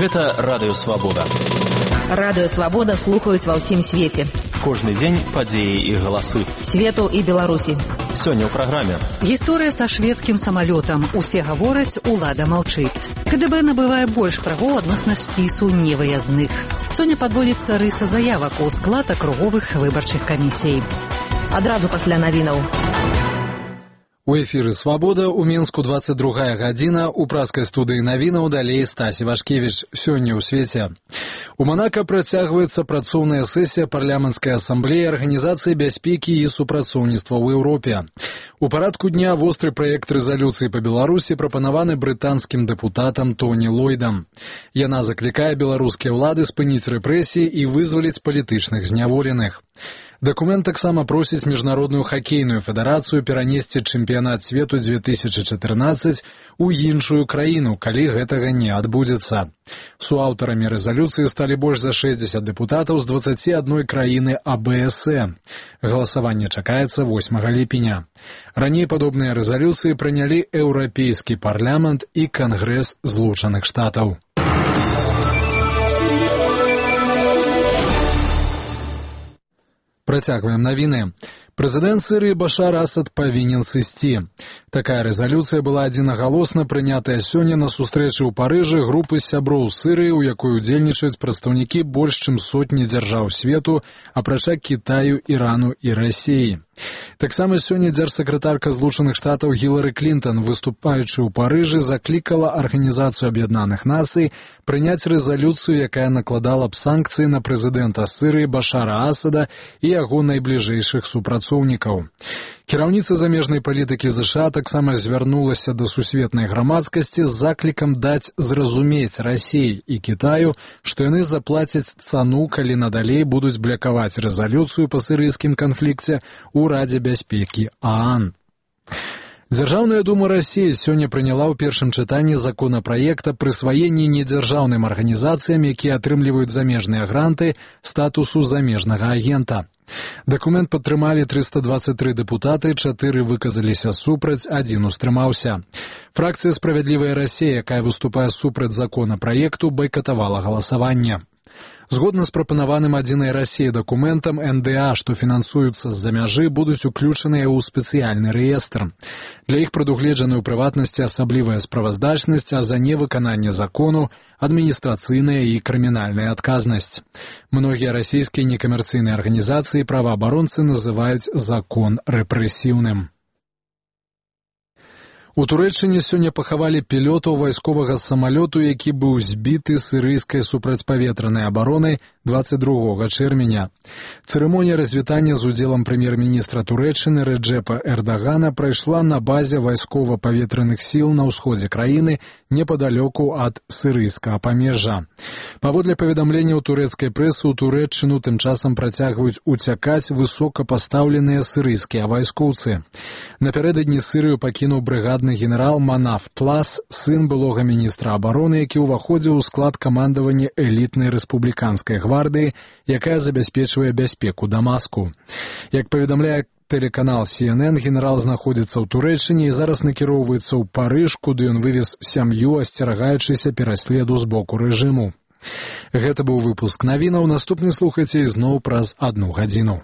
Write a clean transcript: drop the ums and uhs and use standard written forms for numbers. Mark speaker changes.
Speaker 1: Гэта Радыё Свабода.
Speaker 2: Радыё Свабода слухаюць ва ўсім свеце.
Speaker 1: Кожны дзень падзеі і галасы.
Speaker 2: Свету і Беларусі.
Speaker 1: Сёння ў праграме.
Speaker 3: Гісторыя са шведскім самалётам. Усе гавораць, улада маўчыць. КДБ набывае больш правоў адносна спісу невыязных. Сёння падводзіцца рыса заявак у склад акруговых выбарчых камісій.
Speaker 2: Адразу пасля навінаў.
Speaker 4: У эфіры «Свабода» у Мінску 22 гадзіна, у праскай студыі навінаў далей Стасі Вашкевіч. Сёння ў свеце. У Манака працягваецца працоўная сесія парламенцкай асамблеі Арганізацыі бяспекі і супрацоўніцтва ў Еўропе. У парадку дня востры праект рэзалюцыі па Беларусі прапанаваны брытанскім дэпутатам Тоні Ллойдам. Яна заклікае беларускія ўлады спыніць рэпрэсіі і вызваліць палітычных зняволеных. Дакумент таксама просіць Міжнародную хакейную федэрацыю перанесці чэмпіянат свету 2014 у іншую краіну, калі гэтага не адбудзецца. Суаўтарамі рэзалюцыі сталі больш за 60 дэпутатаў з 21 краіны АБСЭ. Галасаванне чакаецца 8 ліпеня. Раней падобныя рэзалюцыі прынялі Еўрапейскі парламент і Кангрэс Злучаных Штатаў. Працягваем навіны. Прэзідэнт Сірыі Башар Асад павінен сысці. Такая рэзалюцыя была адзінагалосна прынятая сёння на сустрэчы ў Парыжы групы сяброў Сірыі, у якой удзельнічаюць прадстаўнікі больш чым сотні дзяржаў свету, апрача Кітаю, Ірану і Расіі. Таксама сёння дзяржсакратарка Злучаных Штатаў Гілары Клінтон, выступаючы ў Парыжы, заклікала Арганізацыю Аб'яднаных Нацый прыняць рэзалюцыю, якая накладала б санкцыі на прэзідэнта Сірыі Башара Асада і яго найбліжэйшых супрацоўнікаў. Кіраўніца замежнай палітыкі ЗША таксама звярнулася да сусветнай грамадскасці з заклікам даць зразумець Расіі і Кітаю, што яны заплацяць цану, калі надалей будуць блякаваць рэзалюцыю па сірыйскім канфлікце ў Радзе бяспекі ААН. Дзяржаўная дума Расіі сёння прыняла ў першым чытанні законапраект аб прысваенні недзяржаўным арганізацыям, якія атрымліваюць замежныя гранты, статусу замежнага агента. Дакумент падтрымалі 323 дэпутаты, 4 выказаліся супраць, 1 устрымаўся. Фракцыя «Справядлівая Расія», якая выступае супраць законапраекту, байкатавала галасаванне. Згодна з прапанаваным «Адзінай Расіі» дакументам, НДА, што фінансуюцца з-за мяжы, будуць уключаныя ў спецыяльны рэестр. Для іх прадугледжаны ў прыватнасці асаблівая справаздачнасць, а за невыкананне закону адміністрацыйная і крымінальная адказнасць. Многія расійскія некамерцыйныя арганізацыі праваабаронцы называюць закон рэпрэсіўным. У Турэччыне сёння пахавалі пілотаў вайсковага самалёту, які быў збіты сірыйскай супрацьпаветранай абаронай 22 чэрвеня. Цырымонія развітання з удзелам прэм'ер-міністра Турэччыны Рэджэпа Эрдагана прайшла на базе вайскова-паветраных сіл на ўсходзе краіны непадалёку ад сірыйскага памежжа. Паводле паведамленняў турэцкай прэсы, у Турэччыну тым часам працягваюць уцякаць высокапастаўленыя сірыйскія вайскоўцы. Напярэдадні Сірыю пакінуў брыгадны генерал Манаф Тлас, сын былога міністра абароны, які ўваходзіў у склад камандавання элітнай рэспубліканскай гвардыі, якая забяспечвае бяспеку Дамаску. Як паведамляе тэлеканал CNN, генерал знаходзіцца ў Турэччыне і зараз накіроўваецца ў Парыж, куды ён вывез сям'ю, асцерагаючыся пераследу з боку рэжыму. Гэта быў выпуск навінаў. Наступны слухайце ізноў праз 1 гадзіну.